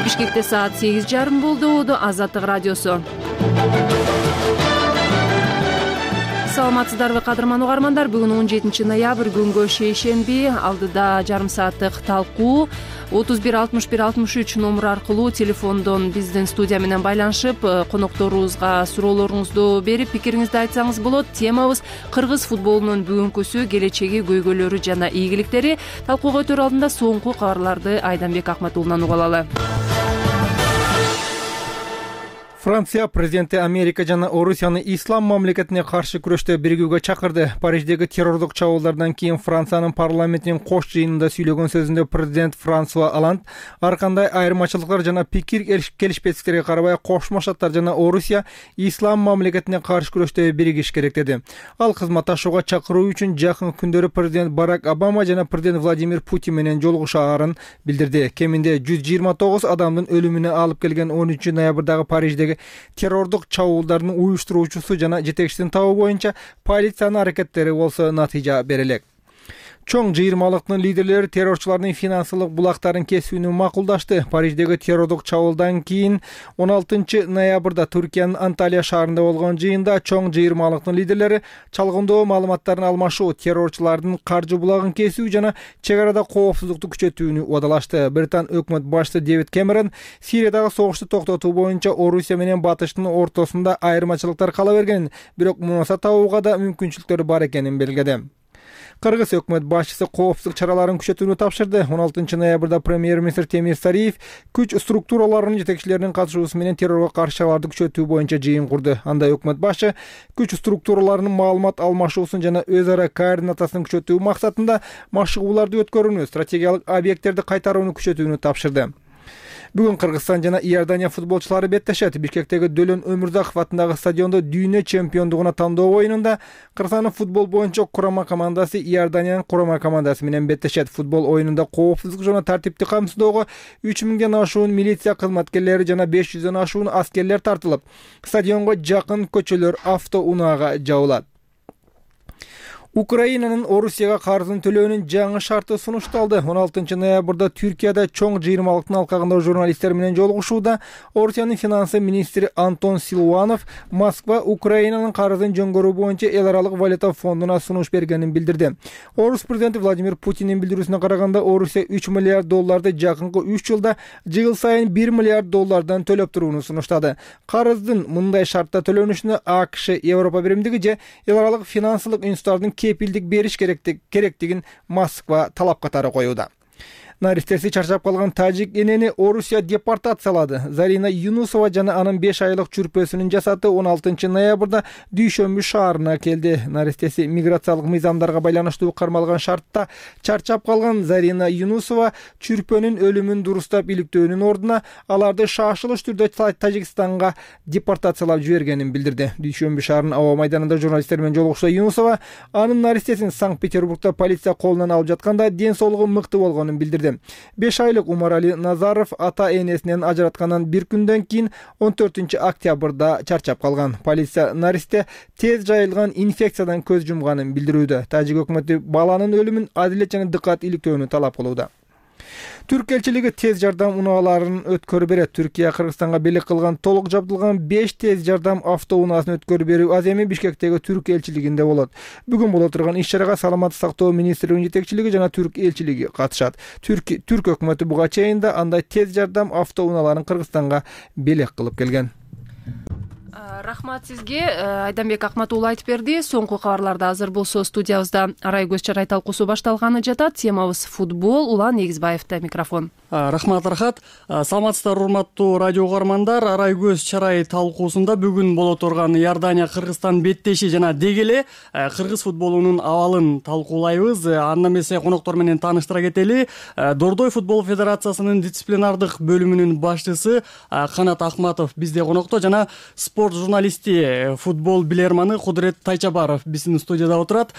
Бишкекте саат 8:30 болду. Азаттык радиосу. Саламатсыздарбы кадырман угармандар. Бүгүн 17 ноябрь күнгө шейшемби. Алдыда жарым сааттык талкуу 31 61 63 номер аркылуу телефондон биздин студия менен байланышып, конокторубузга суроолоруңузду берип, пикириңизди айтсаңыз болот. Темабыз кыргыз футболунун бүгүнкүсү, келечеги, көйгөйлөрү жана ийгиликтери. Талкууга өтөр алдында соңку кабарларды Айданбек Акматуулунан угуп алалы. Франция президенти Америка жана Орусияны ислам мамлекетине каршы күрөштө биригүүгө чакырды. Париждеги террордук чабуулдардан кийин Франциянын парламентинин кош жыйынында сүйлөгөн сөзүндө президент Франсуа Олланд ар кандай айырмачылыктар жана пикир келишпестиктерге карабай Кошмо Штаттар жана Орусия ислам мамлекетине каршы күрөштө биригиш керек деди. Ал кызматташууга чакыруу үчүн жакын күндөрү президент Барак Обама жана президент Владимир Путин менен жолугушаарын билдирди. Кеминде 129 адамдын өлүмүнө алып келген 13 ноябрдагы Париждеги террордук чабуулдардын уюштуруучусу жана жетекчисин табуу боюнча полициянын аракеттери болсо натыйжа бере элек. Чоң жыйырмалыктын лидерлери террорчулардын финансылык булактарын кесүүнү макулдашты. Париждеги террордук чабуулдан кийин 16 ноябрда Түркиянын Анталия шаарында болгон жыйында чоң жыйырмалыктын лидерлери чалгындоо маалыматтарын алмашуу, террорчулардын каржы булагын кесүү жана чек арада коопсуздукту күчөтүүнү убадалашты. Британ өкмөт башчысы Дэвид Кэмерон Сириядагы согушту токтотуу боюнча Орусия менен Батыштын ортосунда айырмачылыктар кала бергенин, бирок мунаса табууга да мүмкүнчүлүктөр бар экенин белгиледи. Кыргыз өкмөт башчысы коопсуздук чараларын күчөтүүнү тапшырды. 16 ноябрда премьер-министр Темир Сариев күч структураларынын жетекчилеринин катышуусу менен террорго каршы чараларды күчөтүү боюнча жыйын курду. Анда өкмөт башчы күч структураларынын маалымат алмашуусун жана өз ара координациясын күчөтүү максатында машыгууларды өткөрүүнү, стратегиялык объекттерди кайтарууну күчөтүүнү тапшырды. Бүгүн Кыргызстан жана Иордания футболчулары беттешет. Бишкектеги Дөлөн Өмүрзаков атындагы стадиондо дүйнө чемпиондугуна тандоо оюнунда Кыргызстандын футбол боюнча курама командасы Иорданиянын курама командасы менен беттешет. Футбол оюнунда коопсуздук жана тартипти камсыздоого 3000ден ашуун милиция кызматкерлери жана 500ден ашуун аскерлер тартылып, стадионго жакын көчөлөр автоунаага жабылат. Украинанын Орусияга карызын төлөөнүн жаңы шарты сунушталды. 16 ноябрда Түркияда чоң жыйырмалыктын алкагында журналисттер менен жолугушууда Орусиянын финансы министри Антон Силуанов Москва Украинанын карызын жөнгөрүү боюнча эл аралык валюта фондуна сунуш бергенин билдирди. Орус президенти Владимир Путиндин билдирүүсүнө караганда, Орусия 3 миллиард долларды жакынкы 3 жылда жыл сайын 1 миллиард доллардан төлөп турууну сунуштады. Карыздын мындай шартта төлөнүшүнө АКШ, Европа биримдиги же эл аралык финансылык институттардын кепилдик бериш керектигин Москва талап катары коюуда. Наристеси чарчап калган тажик энени Орусия депортациялады. Зарина Юнусова жана анын 5 айлык чүрпөсүнүн жасаты 16 ноябрда Дүйшөмбү шаарына келди. Наристеси миграциялык мыйзамдарга байланыштуу кармалган шартта чарчап калган Зарина Юнусова чүрпөнүн өлүмүн дурустап иликтөөнүн ордуна аларды шашылыш түрдө Тажикстанга депортациялап жибергенин билдирди. Дүйшөмбү шаарынын аба майданында журналисттер менен жолугушууда Юнусова анын наристесин Санкт-Петербургда полиция колунан алып жатканда ден соолугу мыкты болгонун билдирди. 5 айлык Умарали Назаров ата-энесинен ажыраткандан бир күндөн кийин 14 октябрда чарчап калган. Полиция наристе тез жайылган инфекциядан көз жумганын билдирүүдө. Тажик өкмөтү баланын өлүмүн адилет жана дыккат иликтөөнү талап кылууда. Түрк элчилиги тез жардам унааларын өткөрүп берет. Түркия Кыргызстанга белек кылган толук жабдылган 5 тез жардам автоунаасын өткөрүп берүү аземи Бишкектеги Түрк элчилигинде болот. Бүгүн боло турган иш-чарага саламаттык сактоо министрлигинин жетекчилиги жана Түрк элчилиги катышат. Түрк өкмөтү буга чейин да андай тез жардам автоунааларын Кыргызстанга белек кылып келген. Рахмат сизге. Айданбек Акматуулу айтып берди. Соңку кабарларда азыр болсо студиябызда Арай көз чарай талкуусу башталганы жатат. Темабыз футбол. Улан Эгизбаевда микрофон. Рахмат Рахат. Саламатсыздар урматтуу радио угармандар. Арай көз чарай талкуусунда бүгүн боло турган Иордания Кыргызстан беттеши жана дегеле кыргыз футболунун абалын талкуулайбыз. Анда эмесе коноктор менен тааныштыра кетели. Дордой футбол федерациясынын дисциплинардык бөлүмүнүн башчысы Канат Ахматов бизде конокто жана спорт спорт журналисти, футбол билермани Кудурет Тайчабаров биздин студияда отурат.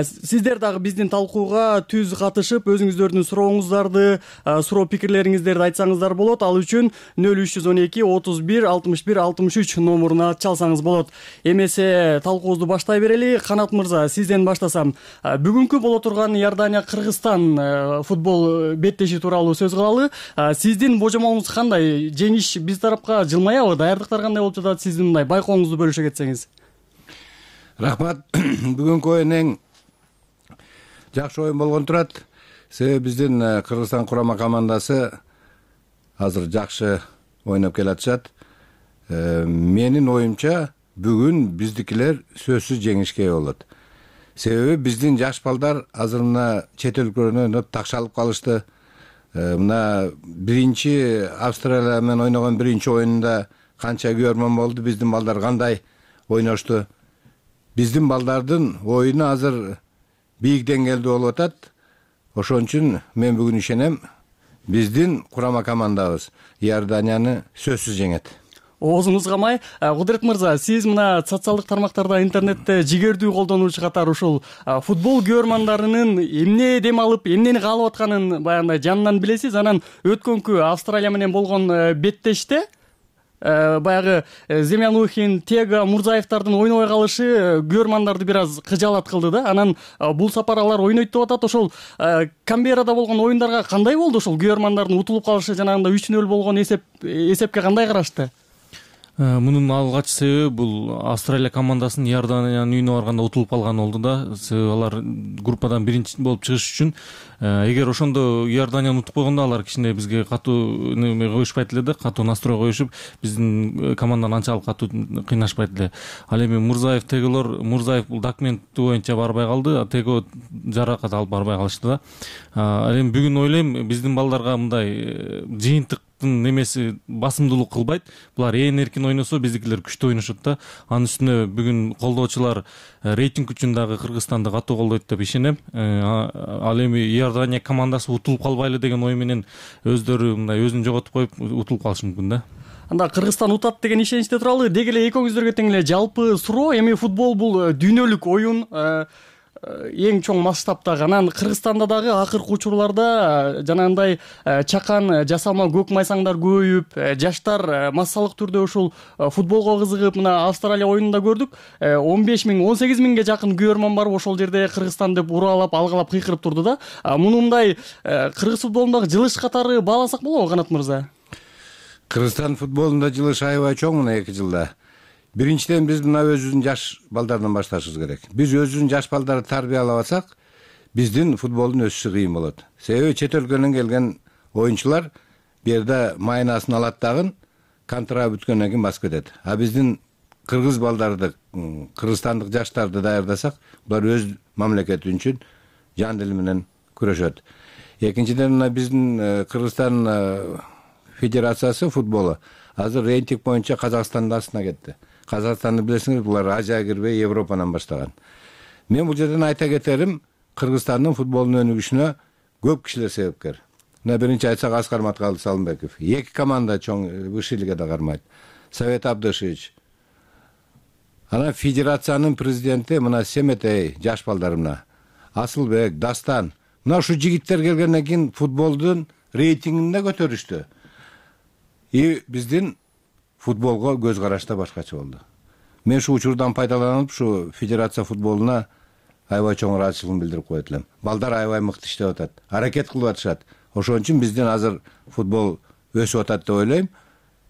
Сиздер дагы биздин талкууга түз катышып, өзүңүздөрдүн сурооңуздарды, суроо пикирлериңиздерди айтсаңыздар болот. Ал үчүн 0312 31 61 63 номуруна чалсаңыз болот. Эмесе талкуубузду баштай берели. Канат мырза, сизден баштасам. Бүгүнкү боло турган Иордания Кыргызстан футбол беттеши тууралуу сөз кылалы. Сиздин божомолуңуз кандай? Жеңиш биз тарапка жылмаябы? Даярдыктар кандай болуп жатат? Сиздин мындай байкооңузду бөлүшө кетсеңиз. Рахмат. Бүгүнкү оюн эң жакшы оюн болгон турат. Себеби биздин Кыргызстан курама командасы азыр жакшы ойноп келатышат. Менин оюмча бүгүн биздикилер сөзсүз жеңишке болот. Себеби биздин жаш балдар азыр мына чет өлкөлөрдөн ойноп такшалып калышты. Мына биринчи Австралия менен ойногон биринчи оюнунда канча көрмөн болду, биздин балдар кандай ойношту. Биздин балдардын оюну азыр бийик деңгээлде болуп атат. Ошон үчүн мен бүгүн ишенем, биздин курама командабыз Иорданияны сөзсүз жеңет. Оозуңуз камай. Кудурет мырза, сиз мына социалдык тармактарда, интернетте жигердүү колдонуучу катары ушул футбол көрмандарынын эмне дем алып, эмнени каалап атканын баягындай жанынан билесиз. Анан өткөнкү Австралия менен болгон беттеште баягы Земянухин, Тега, Мурзаевдардын ойнобой калышы көрмандарды бир аз кыжаалат кылды да. Анан бул сапар алар ойнойт деп атат. Ошол Камберада болгон оюндарга кандай болду? Ошол көрмандардын утулуп калышы, жанагындай 3-0 болгон эсепке кандай карашты? Мунун алгач себеби бул Австралия командасынын Иорданиянын үйүнө барганда утулуп калганы болду да. Себеби алар группадан биринчи болуп чыгыш үчүн эгер ошондо Иорданияны утуп койгондо алар кичине бизге катуу неме коюшпайт эле да, катуу настрой коюшуп, биздин команданы анчалык катуу кыйнашпайт эле. Ал эми Мурзаев, Тегелор, Мурзаев бул документи боюнча барбай калды, Tego жаракат алып барбай калышты да. Ал эми бүгүн ойлойм биздин балдарга мындай жыйынтык немеси басымдуулук кылбайт. Булар ээн эркин ойносо биздикилер күчтүү ойношот да. Анын үстүнө бүгүн колдоочулар рейтинг үчүн дагы Кыргызстанды катуу колдойт деп ишенем. Ал эми Иордания командасы утулуп калбайлы деген ой менен өздөрү мындай өзүн жоготуп коюп утулуп калышы мүмкүн да. Анда Кыргызстан утат деген ишеничте туралы деги эле экөөңүздөргө тең эле жалпы суроо. Эми футбол бул дүйнөлүк оюн, эң чоң масштабтагы. Анан Кыргызстанда дагы акыркы учурларда жанагындай чакан жасалма көк майсаңдар көбөйүп, жаштар массалык түрдө ушул футболго кызыгып, мына Австралия оюнунда көрдүк, 15 000, 18 000ге жакын көрөрман барып ошол жерде Кыргызстан деп уралап, алгалап кыйкырып турду да. Мунундай кыргыз футболундагы жылыш катары бааласак болобу, Канат мырза? Кыргызстан футболунда жылыш аябай чоң мына 2 жылда. Биринчиден биз мына өзүбүздүн жаш балдардан башташыбыз керек. Биз өзүбүздүн жаш балдарды тарбиялап алсак, биздин футболдун өсүшү кыйын болот. Себеби чет өлкөнөн келген оюнчулар бу жерде майнасын алат дагы контракт бүткөндөн кийин басып кетет. А биздин кыргыз балдарды, кыргызстандык жаштарды даярдасак, булар өз мамлекети үчүн жан дили менен күрөшөт. Экинчиден мына биздин Кыргызстан федерациясы футболу азыр рейтинг боюнча Казакстандын астына кетти. Казакстанды билесиңер, булар Азияга кирбей Европанан баштаган. Мен бул жерден айта кетерим, Кыргызстандын футболунун өнүгүшүнө көп кишилер себепкер. Мына биринчи айтсак Аскар Маткалды Салымбеков. 2 команда чоң высший лигада кармайт. Совет Абдышевич. Анан федерациянын президенти мына Семетей, жаш балдарымна, Асылбек, Дастан. Мына ушу жигиттер келгенден кийин футболдун рейтингин да көтөрүштү. И биздин футболго көз караш да башкача болду. Мен ушу учурдан пайдаланып, ушу федерация футболуна аябай чоң ыраазычылыгымды билдирип коет элем. Балдар аябай мыкты иштеп атат, аракет кылып атышат. Ошон үчүн биздин азыр футбол өсүп атат деп ойлойм.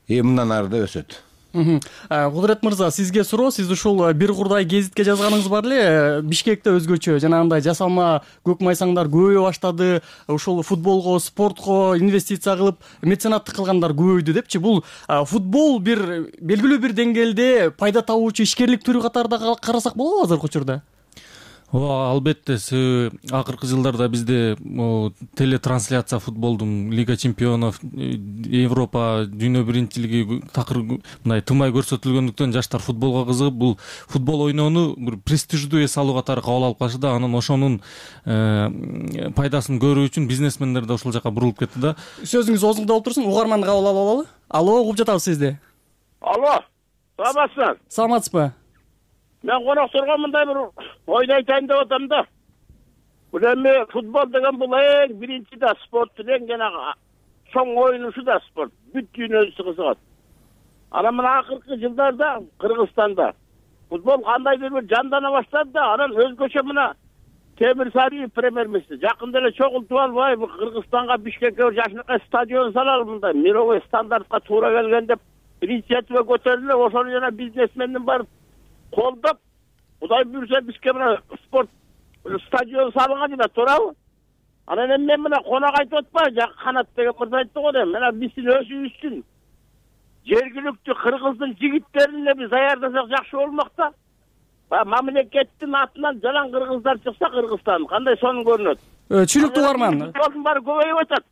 Мындан ары да өсөт. Кудурет мырза, сизге суроо. Сиз ушул бир курдай гезитке жазганыңыз бар эле, Бишкекте өзгөчө жанагындай жасалма көк майсаңдар көбөйө баштады, ушул футболго, спортко инвестиция кылып, меценаттык кылгандар көбөйдү депчи. Бул футбол бир белгилүү бир деңгээлде пайда табуучу ишкерлик түрү катарында карасак болобу азыркы учурда? Ооба, албетте. Акыркы жылдарда бизде телетрансляция футболдун Лига чемпионов, Европа дүйнө биринчилиги такыр мындай тымай көрсөтүлгөндүктөн жаштар футболго кызыгып, бул футбол ойноону бир престиждүү эс алуу катары кабыл алып калышты да. Анан ошонун пайдасын көрүү үчүн бизнесмендер да ушул жака бурулуп кетти да. Сөзүңүз оозуңда болуп турсун, угарманды кабыл алып алалы. Алло, угуп жатабыз сизди. Алло. саламатсызбы? Саламатсызбы? Мен конокторго мындай бир ойду айтайын деп атам да. Бул эми футбол деген бул эң биринчи да спорттун эң жанагы чоң оюнушу да спорт. Бүт дүйнөсү кызыгат. Анан мына акыркы жылдарда Кыргызстанда футбол кандайдыр бир жандана баштады да, анан өзгөчө мына Темир Сариев премьер-министр жакында эле чогултуп албай Кыргызстанга Бишкекке бир жакшынакай стадион салалы мындай мировой стандартка туура келген деп инициатива көтөрүлүп, ошону жана бизнесмендин барып колдоп, Кудай буйрса бизге мына спорт стадион салынган эле, туурабы? Анан эми мен мына конок айтып атпайбы, жак Канат деген мырза айтты го дейм. Мына биздин өзүбүздүн жергиликтүү кыргыздын жигиттерин биз даярдасак жакшы болмок да. Мамлекеттин атынан жалаң кыргыздар чыкса Кыргызстан кандай сонун көрүнөт. Түшүнүктүү угарман. Футболдун баары көбөйүп атат.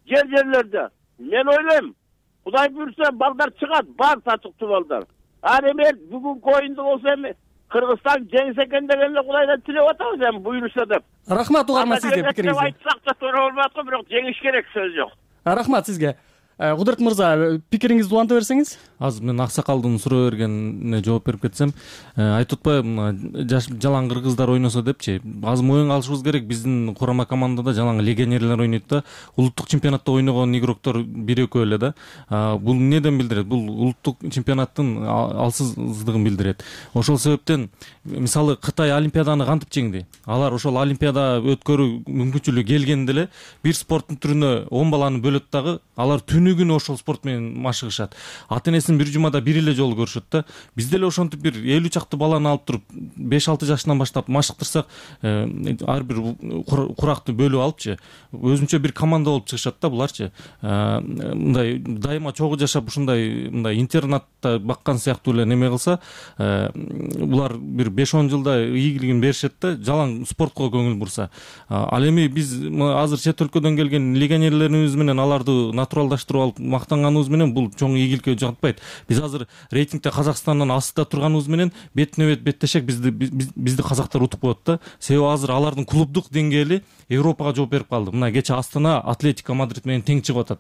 Жерлерде. Мен ойлойм, Кудай буйрса балдар чыгат, бар татыктуу балдар. Ал эми бүгүнкү оюнда болсо эми Кыргызстан жеңсе экен деген эле Кудайдан тилеп атабыз эми буйрса деп. Рахмат угарман сизге пикириңизге. Айтсак да туура болбой аткан, бирок жеңиш керек, сөз жок. Рахмат сизге. Кудурет мырза, пикириңизди уланта берсеңиз. Азыр мен Аксакалдын суроо бергенине жооп берип кетсем, айтып атпайбы, жалаң кыргыздар ойносо депчи. Азыр моюнга алышыбыз керек, биздин курама командада жалаң легионерлер ойнойт да, улуттук чемпионатта ойногон игроктор бир-экөө эле да. Бул эмнеден билдирет? Бул улуттук чемпионаттын алсыздыгын билдирет. Ошол себептен мисалы Кытай олимпиаданы кантип жеңди? Алар ошол олимпиада өткөрүү мүмкүнчүлүгү келгенде эле бир спорттун түрүнө 10 баланы бөлөт дагы, алар күнү ошол спорт менен машыгышат. Ата-энесин бир жумада бир эле жолу көрүшөт да. Бизде эле ошентип бир 50 чакты баланы алып туруп 5-6 жашынан баштап машыктырсак, ар бир куракты бөлүп алыпчы, өзүнчө бир команда болуп чыгышат да буларчы. Мындай дайыма чогуу жашап ушундай мындай интернатта баккан сыяктуу эле неме кылса, булар бир 5-10 жылда ийгилигин беришет да, жалаң спортко көңүл бурса. Ал эми биз азыр чет өлкөдөн келген легионерлерибиз менен аларды натуралдаштырып алып мактанганыбыз менен бул чоң ийгиликке жатпайт. Биз азыр рейтингде Казакстандан астында турганыбыз менен бетине бет беттешек бизди казактар утуп коет да. Себеби азыр алардын клубдук деңгээли Европага жооп берип калды. Мына кече Астана Атлетико Мадрид менен тең чыгып атат.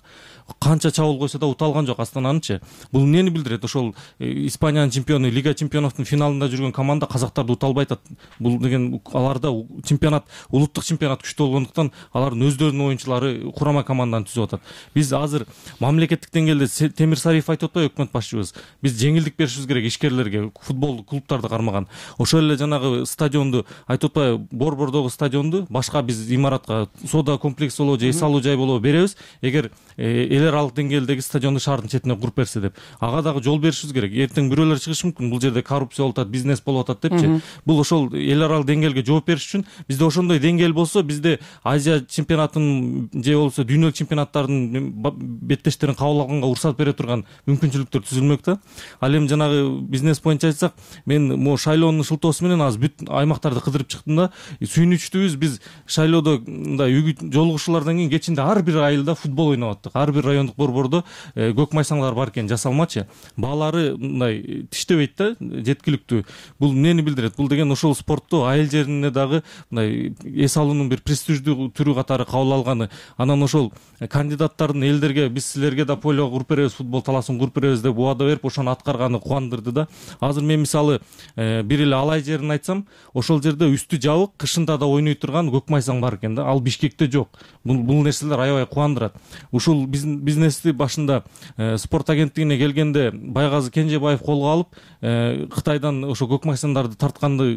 Канча чабуул койсо да уталган жок Астананычы. Бул эмнени билдирет? Ошол Испаниянын чемпиону, Лига чемпионовдун финалында жүргөн команда казактарды уталбай атат. Бул деген аларда чемпионат, улуттук чемпионат күчтүү болгондуктан алардын өздөрүнүн оюнчулары курама команданы түзүп атат. Биз азыр мамлекеттик деңгээлде Темир Сариев айтып атпайбы, өкмөт башчыбыз? Биз жеңилдик беришибиз керек ишкерлерге, футбол клубтарды кармаган. Ошол эле жанагы стадионду айтып атпайбы, Борбордогу стадионду башка биз имаратка соода комплекс болобу же эс алуу жай болобу беребиз, эгер эл аралык деңгээлдеги стадионду шаардын четине куруп берсе деп. Ага дагы жол беришибиз керек. Эртең бирөөлөр чыгышы мүмкүн, бул жерде коррупция болуп атат, бизнес болуп атат депчи. Бул ошол эл аралык деңгээлге жооп бериш үчүн бизде ошондой деңгээл болсо, бизде Азия чемпионатын же болбосо дүйнөлүк чемпионаттардын беттештерин кабыл алганга уруксат бере турган мүмкүнчүлүктөр түзүлмөк да. Ал эми жанагы бизнес боюнча айтсак, мен могу шайлоонун шылтоосу менен азыр бүт аймактарды кыдырып чыктым да. Сүйүнүчтүүбүз, биз шайлоодо мындай үйгү жолугушуулардан кийин кечинде ар бир айылда футбол ойноп аттык. Ар бир райондук борбордо көк майсаңдар бар экен, жасалмачы. Баалары мындай тиштебейт да, жеткиликтүү. Бул эмнени билдирет? Бул деген ошол спортту айыл жерине дагы мындай эс алуунун бир престиждүү түрү катары кабыл алганы. Анан ошол кандидаттардын элдерге биз силерге да поле куруп беребиз, футбол талаасын куруп беребиз деп убада берип, ошону аткарганы кубандырды да. Азыр мен мисалы бир эле Алай жерин айтсам, ошол жерде үстү жабык, кышында да ойной турган көк майсаң бар экен да. Ал Бишкекте жок. Бул нерселер аябай кубандырат. Ушул бизнести башында спорт агенттигине келгенде Байгазы Кенжебаев колго алып, Кытайдан ошо көк майсаңдарды тартканды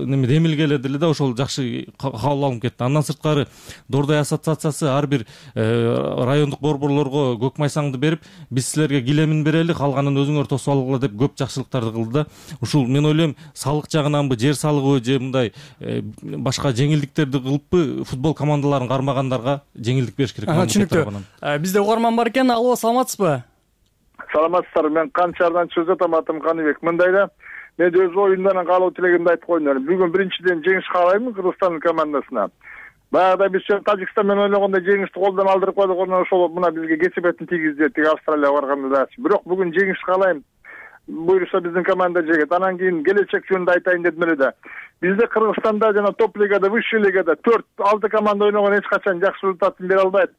неме демилгеледи эле да, ошол жакшы кабыл алынып кетти. Андан сырткары Дордой ассоциациясы ар бир райондук борборлорго көк майсаңды берип, биз силерге килемин берели, калганын өзүңөр тосуп алгыла деп көп жакшылыктарды кылды да. Ушул мен ойлойм, салык жагынанбы, жер салыгыбы же мындай башка жеңилдиктерди кылыппы, футбол командаларын кармагандарга жеңилдик бериш керек. Түшүнүктүү. Бизде угарман бар экен. Алло, саламатсызбы? Саламатсыздар. Мен Канчардан чыгып атам, атым Каныбек. Мындай да, мен өз оюндардан калуу тилегимди айтып коеюн. Бүгүн биринчиден жеңиш каалайм Кыргызстандын командасына. Баягыда биз Тажикстан менен ойногондо жеңишти колдон алдырып койдук, ошол мына бизге кесепетин тийгизди, тиги Австралияга барганда да. Бирок бүгүн жеңиш каалайм. Буйруса биздин команда жегет. Анан кийин келечек жөнүндө айтайын дедим эле да. Бизде Кыргызстанда жана топ лигада, высший лигада 4-6 команда ойногон эч качан жакшы результатын бере албайт.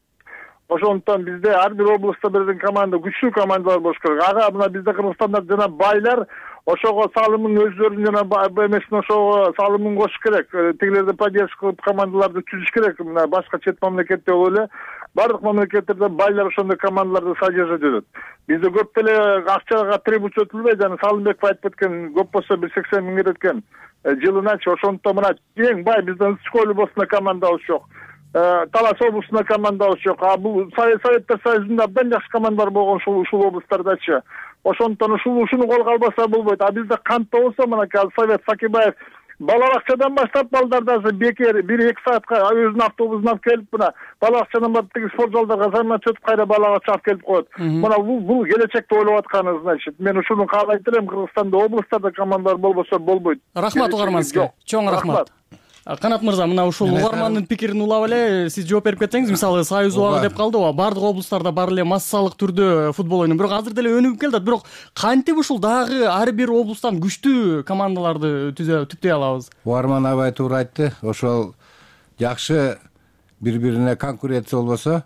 Ошондуктан бизде ар бир областта бирден команда, күчтүү командалар болуш керек. Ага мына бизде Кыргызстанда жана байлар ошого салымын өздөрүнүн жана эмесин ошого салымын кошуш керек. Тигилерди поддержка кылып командаларды түзүш керек. Мына башка чет мамлекетте болуп эле бардык мамлекеттерде байлар ошондой командаларды содержать этет. Бизде көп деле акчага трибут өтүлбөйт. Жана Салымбеков айтып кеткен, көп болсо 180 миң керек экен жылыначы. Ошондуктан мына эң бай бизден Ысчкөл областында командабыз жок. Талас областында командабыз жок. Бул Советтер Союзунда абдан жакшы командалар болгон ушул областтардачы. Ошондуктан ушуну колго албаса болбойт. Бизде кантта болсо мына Совет Сакибаев бала бакчадан баштап балдарды бекер 1-2 саатка өзүнүн автобусун алып келип мына бала бакчадан барып тиги спорт залдарга заматча өтүп кайра балага чыгып келип коет. Мына бул келечекти ойлоп атканы, значит. Мен ушуну каалайт элем, Кыргызстанда областтарда командалар болбосо болбойт. Рахмат угарман. Чоң рахмат. Канат мырза, мына ушул угармандын пикирин улап эле сиз жооп берип кетсеңиз, мисалы Союз убагы деп калды, бардык областтарда бар эле массалык түрдө футбол ойнойт. Бирок азыр деле өнүгүп келатат. Бирок кантип ушул дагы ар бир областтан күчтүү командаларды түптөй алабыз? Угарман абай туура айтты. Ошол жакшы бири-бирине конкуренция болбосо,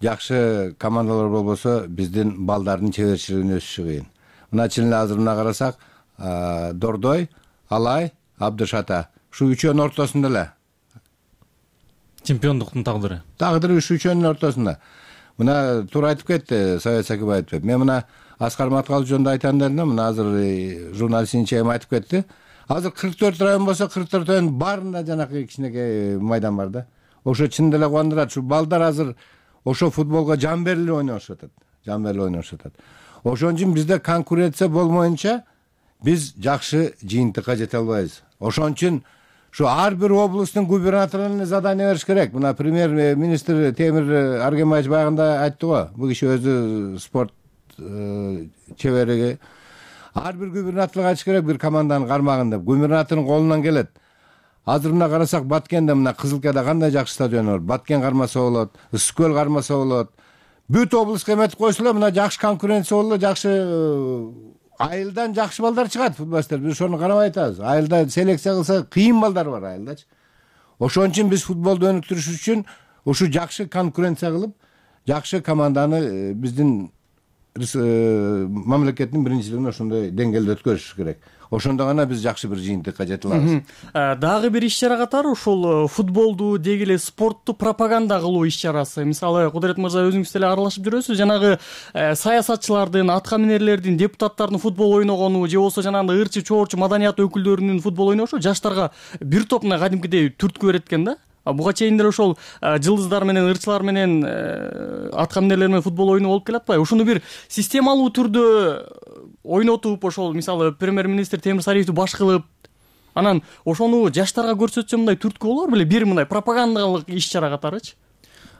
жакшы командалар болбосо, биздин балдардын чеберчилигин өсүшү кыйын. Мына чын эле азыр мына карасак, Дордой, Алай, Абдышата ушу үчөөнүн ортосунда эле чемпиондуктун тагдыры ушу үчөөнүн ортосунда. Мына туура айтып кетти Совет Сакибаев. Мен мына Аскар Маткалов жөнүндө айтайын дедим. Мына азыр журналист Инчейм айтып кетти. Азыр 44 район болсо, 44 район баарында жанакы кичинекей майдан бар да. Ошо чын деле кубандырат. Ушу балдар азыр ошо футболго жан берилип ойношуп атат. Ошон үчүн бизде конкуренция болмоюнча биз жакшы жыйынтыкка жете албайбыз. Ошон үчүн ушу ар бир областтын губернаторуна задание бериш керек. Мына премьер-министр Темир Аргембаевич баягында айтты го. Бул киши өзү спорт чебериги. Ар бир губернаторго айтыш керек бир команданы кармагын деп. Губернатордун колунан келет. Азыр мына карасак Баткенде мына Кызылкада кандай жакшы стадион бар. Баткен кармаса болот, Ысчкөл кармаса болот. Бүт областка эметип койсо эле мына жакшы конкуренция болот, жакшы айылдан жакшы балдар чыгат футболисттер. Биз ошону карабай атабыз. Айылда селекция кылса кыйын балдар бар айылдачы. Ошон үчүн биз футболду өнүктүрүш үчүн ушу жакшы конкуренция кылып, жакшы команданы биздин мамлекеттин биринчилигине ошондой деңгээлде өткөрүш керек. Ошондо гана биз жакшы бир жыйынтыкка жете алабыз. Дагы бир иш-чара катары ушул футболду деги эле спортту пропаганда кылуу иш-чарасы. Мисалы, Кудурет мырза өзүңүз деле аралашып жүрөсүз. Жанагы саясатчылардын, атка минерлердин, депутаттардын футбол ойногону же болбосо жанагындай ырчы, чоорчу маданият өкүлдөрүнүн футбол ойношу жаштарга бир топ мына кадимкидей түрткү берет экен да. Буга чейин деле ошол жылдыздар менен, ырчылар менен, атка минерлер менен футбол ойноо болуп келатпайбы? Ушуну бир системалуу түрдө ойнотуп, ошол мисалы премьер-министр Темир Сариевди баш кылып, анан ошону жаштарга көрсөтсө мындай түрткү болор беле, бир мындай пропагандалык иш-чара катарычы?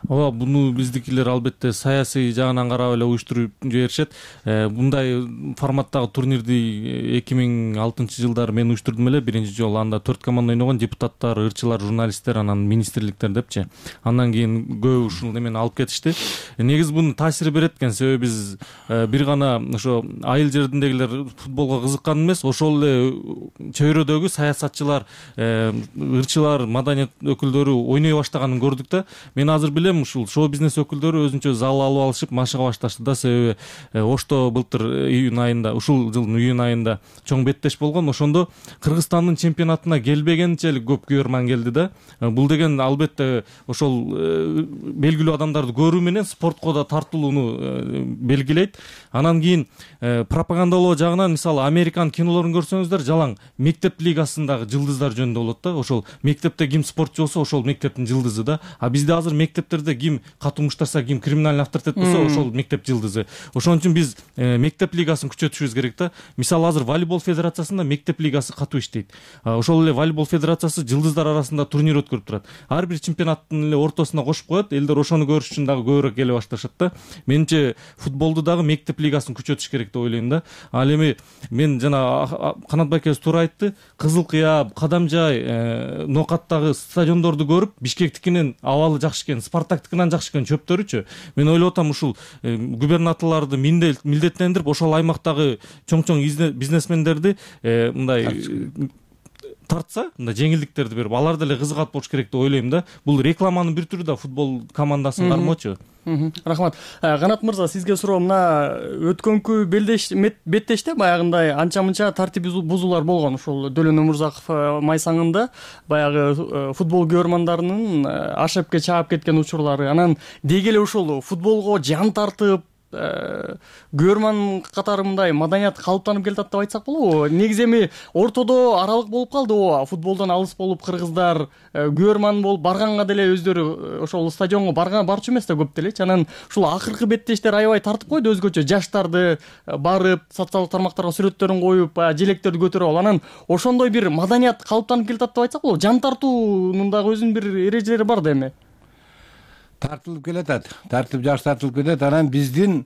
Ооба, буну биздикилер албетте саясий жагынан карап эле уюштуруп жиберишет. Мындай форматтагы турнирди 2006 жылдары мен уюштурдум эле. Биринчи жолу анда 4 команда ойногон, депутаттар, ырчылар, журналисттер, анан министрликтер депчи. Андан кийин көбү ушул немени алып кетишти. Негизи бунун таасири берет экен, себеби биз бир гана ошо айыл жериндегилер футболго кызыккан эмес, ошол эле чөйрөдөгү саясатчылар, ырчылар, маданият өкүлдөрү ойной баштаганын көрдүк да. Мен азыр билем ушул шоу бизнес өкүлдөрү өзүнчө зал алып алышып машыга башташты да, себеби Ошто былтыр июнь айында, ушул жылдын июнь айында чоң беттеш болгон. Ошондо Кыргызстандын чемпионатына келбегенчелик көп көрөрман келди да. Бул деген албетте ошол белгилүү адамдарды көрүү менен спортко да тартылууну белгилейт. Анан кийин пропагандалоо жагынан мисалы Американ кинолорун көрсөңүздөр, жалаң мектеп лигасындагы жылдыздар жөнүндө болот да. Ошол мектепте ким спортчу болсо, ошол мектептин жылдызы да. А бизде азыр мектептерде ким катууштарса, ким криминальный авторитет болсо, ошол мектеп жылдызы. Ошон үчүн биз мектеп лигасын күчөтүшүбүз керек да. Мисалы азыр волейбол федерациясында мектеп лигасы катуу иштейт. Ошол эле волейбол федерациясы жылдыздар арасында турнир өткөрүп турат. Ар бир чемпионаттын эле ортосуна кошуп коет, элдер ошону көрүш үчүн дагы көбүрөөк келе башташат да. Менимче футболду дагы мектеп лигасын күчөтүш керек деп ойлойм да. Ал эми мен жана Канат байкебиз туура айтты, Кызыл Кыя, Кадамжай, Нокаттагы стадиондорду көрүп, Бишкектикинен абалы жакшы экен, Спартактыкынан жакшы экен чөптөрүчү. Мен ойлоп атам, ушул губернаторлорду милдеттендирип, ошол аймактагы чоң-чоң бизнесмендерди мындай тартса, мындай жеңилдиктерди берип, алар деле кызыгат болуш керек деп ойлойм да. Бул рекламанын бир түрү да футбол командасын кармоочу. Рахмат. Канат мырза, сизге суроо. Мына өткөнкү беттеште баягындай анча-мынча тартип бузуулар болгон. Ушул Дөлөн Өмүрзаков майсаңында баягы футбол көрөрмандарынын ашепке чаап кеткен учурлары. Анан деги эле ушул футболго жан тартып көрөрман катары мындай маданият калыптанып келатат деп айтсак болобу? Негизи эми ортодо аралык болуп калды. Футболдон алыс болуп кыргыздар көрөрман болуп барганга деле өздөрү ошол стадионго барчу эмес да көп делечи. Анан ушул акыркы беттештер аябай тартып койду өзгөчө. Жаштарды барып социалдык тармактарга сүрөттөрүн коюп, желектерди көтөрүп алып, анан ошондой бир маданият калыптанып келатат деп айтсак болобу. Жан тартуунун дагы өзүнүн бир эрежелери бар да эми. Тартылып келатат. Жаш тартылып кетет. Анан биздин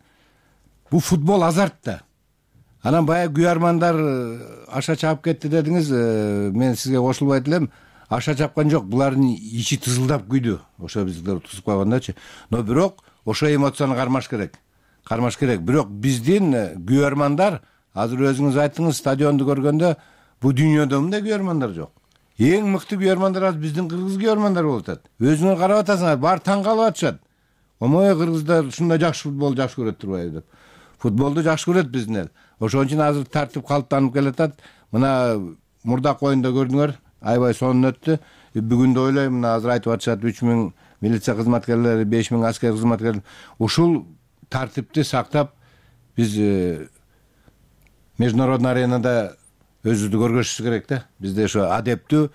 бу футбол азарт да. Анан баягы күйөрмандар аша чаап кетти дедиңиз, мен сизге кошулбайт элем. Аша чапкан жок, булардын ичи тызылдап күйдү. Ошо биздер тузуп койгондочу. Но бирок ошо эмоцияны кармаш керек. Бирок биздин күйөрмандар, азыр өзүңүз айттыңыз, стадионду көргөндө бу дүйнөдө мындай күйөрмандар жок. Эң мыкты күйөрмандар азыр биздин кыргыз күйөрмандар болуп атат. Өзүңөр карап атасыңар, баары таң калып атышат. Омой, кыргыздар ушундай жакшы футбол жакшы көрөт турбайбы деп. Футболду жакшы көрөт биздин эл. Ошон үчүн азыр тартип калыптанып келатат. Мына мурдак оюнда көрдүңөр, аябай сонун өттү. Бүгүн да ойлойм, мына азыр айтып атышат 3000 милиция кызматкерлери, 5000 аскер кызматкерлери. Ушул тартипти сактап биз международный аренада өзүбүздү көргөзүшүбүз керек да. Бизде ошо адептүү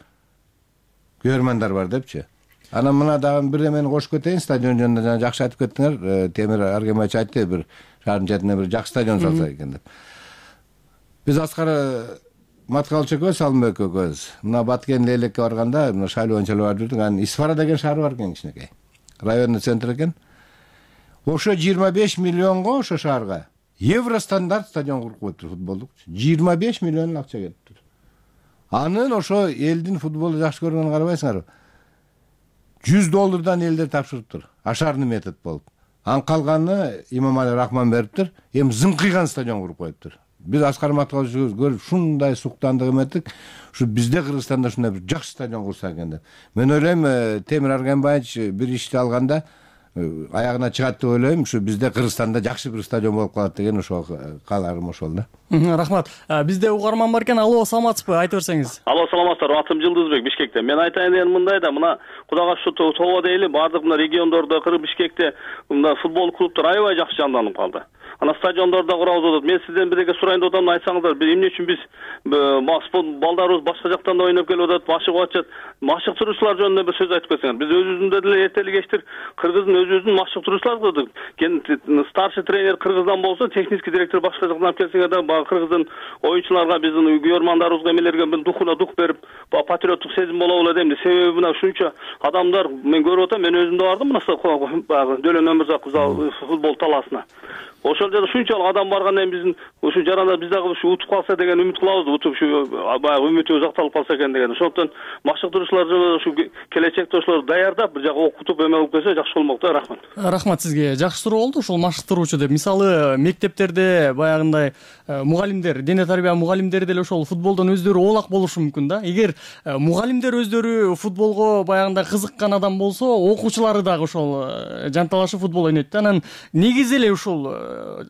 күйөрмандар бар депчи. Анан мына дагы бир эмени кошуп кетейин, стадион жөнүндө жана жакшы айтып кеттиңер. Темир Аргембаевич айтты, бир шаардын четине бир жакшы стадион салса экен деп. Биз Аскар Маткалыч экөөбүз, Салымбек экөөбүз мына Баткен Лейлекке барганда, мына шайлоо барып жүрдүк. Анан Исфара деген шаар бар экен, кичинекей. Районный центр экен. Ошо 25 миллионго ошо шаарга евро стандарт стадион куруп коюптур футболдук. 25 миллион акча кетиптир. Анын ошо элдин футболду жакшы көргөнүн карабайсыңарбы? $100 элдер тапшырыптыр. Ашарный метод болуп. Анын калганын Имамали Рахман бериптир. Эми зыңкыйган стадион куруп коюптур. Биз Аскар Маткалычыбыз көрүп шундай суктандык эметтик. Ушу бизде Кыргызстанда ушундай бир жакшы стадион курса экен деп. Мен ойлойм, Темир Аргембаевич бир ишти алганда аягына чыгат деп ойлойм. Ушу бизде Кыргызстанда жакшы бир стадион болуп калат деген ошол кааларым ошол да. Рахмат. Бизде угарман бар экен. Алло, саламатсызбы? Айтып берсеңиз. Алло, саламатсыздар. Атым Жылдызбек, Бишкектен. Мен айтайын дегеним мындай да, мына Кудайга шүкүр тобо дейли, бардык мына региондордо, Бишкекте мына футбол клубтар аябай жакшы жанданып калды. Ана стадиондордо курабыз атат. Мен сизден бирге сурайын деп атам, айтсаңыздар, эмне үчүн биз балдарыбыз башка жактан да ойноп келип атат, машыгып атышат. Машыктыруучулар жөнүндө бир сөз айтып кетсеңер. Биз өзүбүздө деле эртели кечтир Кыргыздын өзүбүздүн машыктыруучулар кылдык. Старший тренер Кыргыздан болсо, технический директор башка жактан алып келсеңер да, Кыргыздын оюнчуларга, биздин күйөрмандарыбызга эмелерге духуна дух берип, патриоттук сезим болобу эле дейм. Себеби мына ушунча адамдар мен көрүп атам, мен өзүм да бардым мына Дөлөн Өмүрзаков футбол талаасына. Ошол жерде ушунчалык адам баргандан кийин биздин ушу жаранда биз дагы ушу утуп калса деген үмүт кылабыз. Утуп ушу баягы үмүтүбүз акталып калса экен деген. Ошондон машыктыруучулар ушу келечекте ошолорду даярдап бир жака окутуп эме кылып келсе жакшы болмок да. Рахмат. Рахмат сизге. Жакшы суроо болду ушул машыктыруучу деп. Мисалы мектептерде баягындай мугалимдер, дене тарбия мугалимдери деле ошол футболдон өздөрү оолак болушу мүмкүн да. Эгер мугалимдер өздөрү футболго баягындай кызыккан адам болсо, окуучулары дагы ошол жанталашып футбол ойнойт да. Анан негизи эле ушул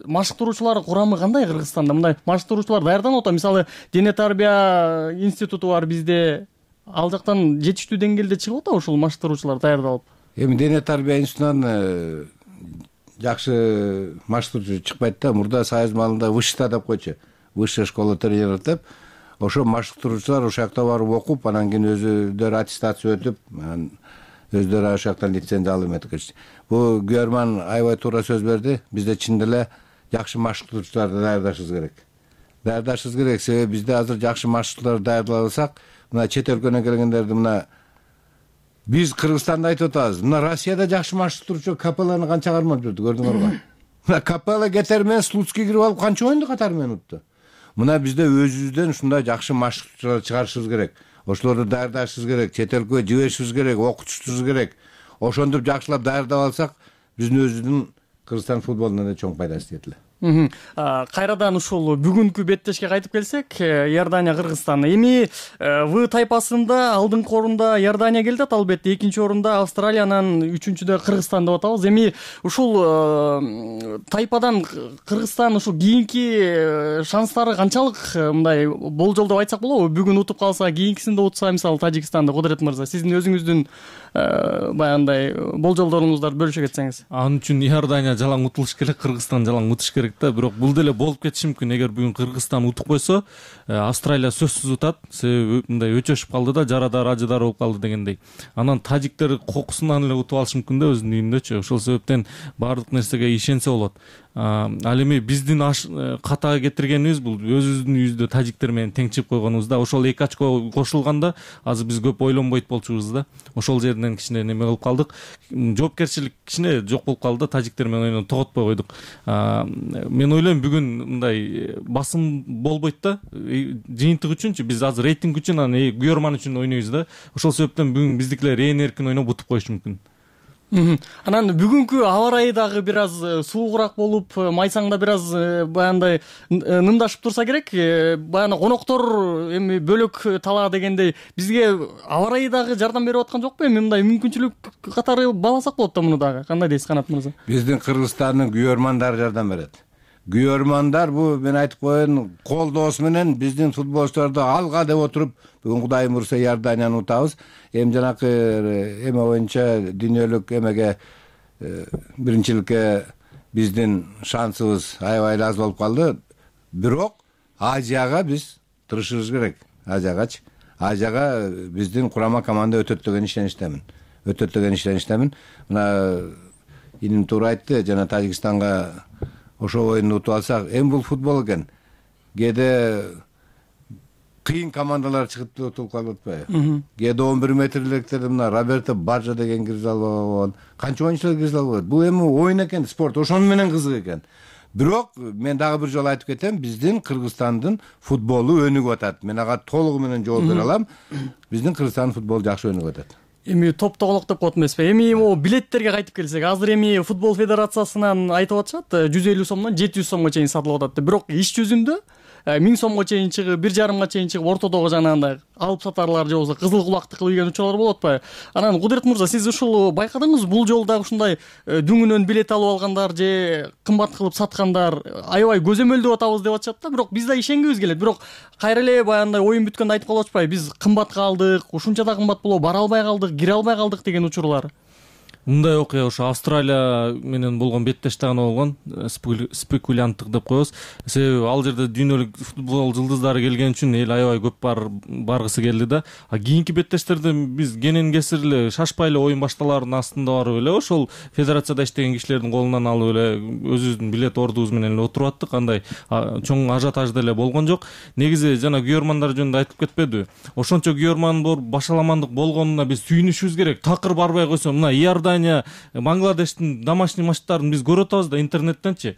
машыктыруучулар курамы кандай Кыргызстанда? Мындай машыктыруучулар даярданып атат. Мисалы дене тарбия институту бар бизде. Ал жактан жетиштүү деңгээлде чыгып атабы ушул машыктыруучулар даярдалып? Эми дене тарбия институтунан жакшы машыктыруучу чыкпайт да. Мурда Союз маалында вышта деп койчу. Высшая школа тренеров деп. Ошо машыктыруучулар ошол жакта барып окуп, анан кийин өзүлөрү аттестация өтүп, өздөрү ошол жактан лицензия алып эметкен. Бу күйөрман аябай туура сөз берди. Бизде чын деле жакшы машыктыруучуларды даярдашыбыз керек. Себеби бизде азыр жакшы машыктыруучулар даярдала алсак, мына чет өлкөнөн келгендерди мына биз Кыргызстанда айтып атабыз. Мына Россияда жакшы машыктыруучу Капелланы канча кармап жүрдү, көрдүңөрбү? Мына Капелла кетер менен Слуцкий кирип алып канча оюнду катары менен утты. Мына бизде өзүбүздөн ушундай жакшы машыктыруучулар чыгарышыбыз керек. Ошолорду даярдашыбыз керек, чет өлкөгө жиберишибиз керек, окутушубуз керек. Ошондуп жакшылап даярдап алсак, биздин өзүбүздүн Кыргызстан футболуна да чоң пайдасы тиет эле. Кайрадан ушул бүгүнкү беттешке кайтып келсек, Иордания Кыргызстан. Эми В тайпасында алдыңкы орунда Иордания келди, албетте экинчи орунда Австралия, анан үчүнчүдө Кыргызстан деп атабыз. Эми ушул тайпадан Кыргызстан ушул кийинки шанстары канчалык, мындай болжолдоп айтсак болобу? Бүгүн утуп калса, кийинкисинде утса, мисалы Тажикстанды, Кудурет мырза, сиздин өзүңүздүн баягындай болжолдоруңуздарды бөлүшө кетсеңиз. Анын үчүн Иордания жалаң утулуш керек, Кыргызстан жалаң утуш керек да. Бирок бул деле болуп кетиши мүмкүн. Эгер бүгүн Кыргызстан утуп койсо, Австралия сөзсүз утат. Себеби мындай өчөшүп калды да, жарадар, ажыдар болуп калды дегендей. Анан тажиктер кокусунан эле утуп алышы мүмкүн да өзүнүн үйүндөчү. Ошол себептен баардык нерсеге ишенсе болот. Ал эми биздин катага кетиргенибиз бул өзүбүздүн үйүбүздө тажиктер менен тең чыгып койгонубуз да. Ошол 2 очко кошулганда азыр биз көп ойлонбойт болчубуз да. Ошол жерден кичине неме кылып калдык. Жоопкерчилик кичине жок болуп калды. Тажиктер менен ойноо тоготпой койдук. Мен ойлойм бүгүн мындай басым болбойт да. Жыйынтык үчүнчү биз азыр рейтинг үчүн, анан күйөрман үчүн ойнойбуз да. Ошол себептен бүгүн биздикилер эркин ойноп утуп коюшу мүмкүн. Анан бүгүнкү аба ырайы дагы бир аз суугураак болуп, майсаңда бир аз баягындай нымдашып турса керек. Баягы коноктор эми бөлөк талаа дегендей бизге аба ырайы дагы жардам берип аткан жокпу? Эми мындай мүмкүнчүлүк катары бааласак болот да муну дагы. Кандай дейсиз, Канат мырза? Биздин Кыргызстандын күйөрмандары жардам берет. Күйөрмандар бул мен айтып коеюн, колдоосу менен биздин футболчуларды алга деп отуруп, бүгүн Кудай буйрса Иорданияны утабыз. Эми жанакы эме боюнча дүйнөлүк эмеге биринчиликке биздин шансыбыз аябай аз болуп калды. Бирок Азияга биз тырышыбыз керек. Азияга биздин курама команда өтөт деген ишеништемин. Мына иним туура айтты, жана Тажикстанга ошол оюнду утуп алсак, эми бул футбол экен. Кээде кыйын командалар чыгып утуп калып атпайбы? Кээде 11 метрликтерде мына Роберто Баджа деген киргизе албай койгон. Канча оюнчулар киргизе албай. Бул эми оюн экен, спорт. Ошону менен кызык экен. Бирок мен дагы бир жолу айтып кетем, биздин Кыргызстандын футболу өнүгүп атат. Мен ага толугу менен жооп бере алам. Биздин Кыргызстандын футболу жакшы өнүгүп атат. Эми топтоголок деп коет эмеспи? Эми могу билеттерге кайтып келсек, азыр эми футбол федерациясынан айтып атышат, 150 сомдон 700 сомго чейин сатылып атат. Бирок иш жүзүндө 1000 сомго чейин чыгып, 1,5 чейин чыгып, ортодогу жанагындай алып сатарлар же болбосо кызыл кулакты кылып ийген учурлар болуп атпайбы? Анан Кудурет мырза, сиз ушул байкадыңызбы? Бул жолу дагы ушундай дүңүнөн билет алып алгандар же кымбат кылып саткандар аябай көзөмөлдөп атабыз деп атышат да. Бирок биз да ишенгибиз келет. Бирок кайра эле баягындай оюн бүткөндө айтып калып атпайбы? Биз кымбатка алдык, ушунча да кымбат болобу, бара албай калдык, кире албай калдык деген учурлар. Мындай окуя ошо Австралия менен болгон беттеште гана болгон, спекулянттык деп коебуз. Себеби ал жерде дүйнөлүк футбол жылдыздары келген үчүн эл аябай көп баргысы келди да. Кийинки беттештерде биз кенен кесир эле шашпай эле оюн башталаардын астында барып эле ошол федерацияда иштеген кишилердин колунан алып эле өзүбүздүн билет ордубуз менен эле отуруп аттык. Андай чоң ажиотаж деле болгон жок. Негизи жана күйөрмандар жөнүндө айтып кетпедиби? Ошончо күйөрман бар, башаламандык болгонуна биз сүйүнүшүбүз керек. Такыр барбай койсо, мына Бангладештин домашний матчтарын биз көрүп атабыз да интернеттенчи.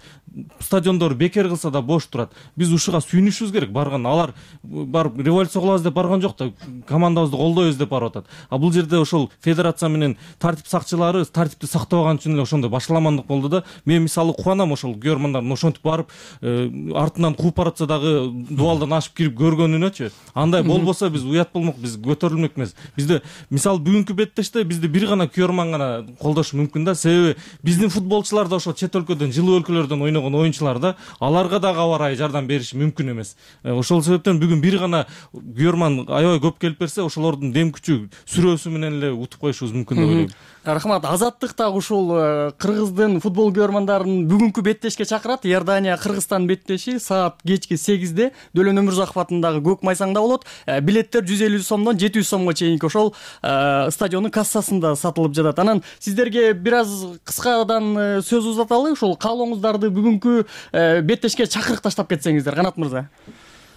Стадиондор бекер кылса да бош турат. Биз ушуга сүйүнүшүбүз керек. Барган алар барып революция кылабыз деп барган жок да, командабызды колдойбуз деп барып атат. Бул жерде ошол федерация менен тартип сакчылары тартипти сактабаган үчүн эле ошондой башаламандык болду да. Мен мисалы кубанам ошол күйөрмандардын ошентип барып артынан кууп баратса дагы дубалдан ашып кирип көргөнүнөчү. Андай болбосо биз уят болмок, биз көтөрүлмөк эмес. Бизде мисалы бүгүнкү беттеште бизди бир гана күйөрман гана колдошу мүмкүн да. Себеби биздин футболчулар да ошол чет өлкөдөн, жылуу өлкөлөрдөн ойногон оюнчулар да, аларга дагы аба ырайы жардам бериши мүмкүн эмес. Ошол себептен бүгүн бир гана күйөрман аябай көп келип берсе, ошолордун дем күчү сүрөөсү менен эле утуп коюшубуз мүмкүн деп ойлойм. Рахмат. Азаттык дагы ушул кыргыздын футбол күйөрмандарын бүгүнкү беттешке чакырат. Иордания Кыргызстан беттеши саат кечки 8-де Дөлөн Өмүрзаков атындагы Көк майсаңда болот. Билеттер 150 сомдон 700 сомго чейинки ошол стадиондун кассасында сатылып жатат. Анан сиздерге бир аз кыскадан сөз узаталы, ушул каалооңуздарды бүгүнкү беттешке чакырык таштап кетсеңиздер, Канат мырза.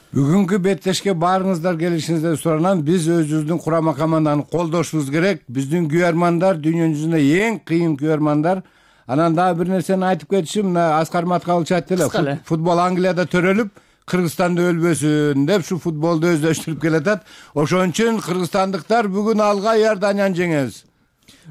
Бүгүнкү беттешке баарыңыздар келишиңиздерди суранам. Биз өзүбүздүн курама команданы колдошубуз керек. Биздин күйөрмандар дүйнө жүзүндө эң кыйын күйөрмандар. Анан дагы бир нерсени айтып кетишим, мына Аскар Маткалович айтты эле, футбол Англияда төрөлүп, Кыргызстанда өлбөсүн деп ушу футболду өздөштүрүп келатат. Ошон үчүн кыргызстандыктар бүгүн алга Иорданияны жеңебиз.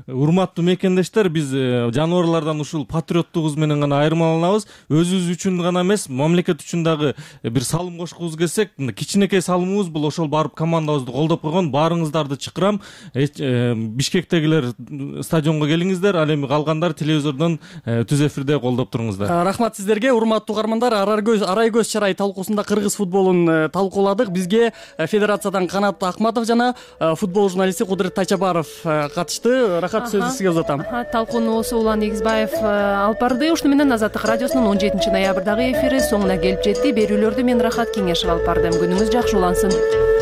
урматтуу мекендештер, биз жаныбарлардан ушул патриоттугубуз менен гана айырмаланабыз. Өзүбүз үчүн гана эмес, мамлекет үчүн дагы бир салым кошкубуз келсек, кичинекей салымыбыз бул ошол барып командабызды колдоп койгон. Баарыңыздарды чакырам. Бишкектегилер стадионго келиңиздер, ал эми калгандар телевизордон түз эфирде колдоп туруңуздар. Рахмат сиздерге, урматтуу угармандар. Арай көз чарай талкуусунда кыргыз футболун талкууладык. Бизге федерациядан Канат Акматов жана футбол журналисти Кудурет Тайчабаров катышты. Рахат, сөздү сизге узатам. Талкууну Осо Улан Эгизбаев алып барды. Ушуну менен Азаттык радиосунун 17 ноябрдагы эфири соңуна келип жетти. Берүүлөрдү мен Рахат Кеңешев алып бардым. Күнүңүз жакшы улансын.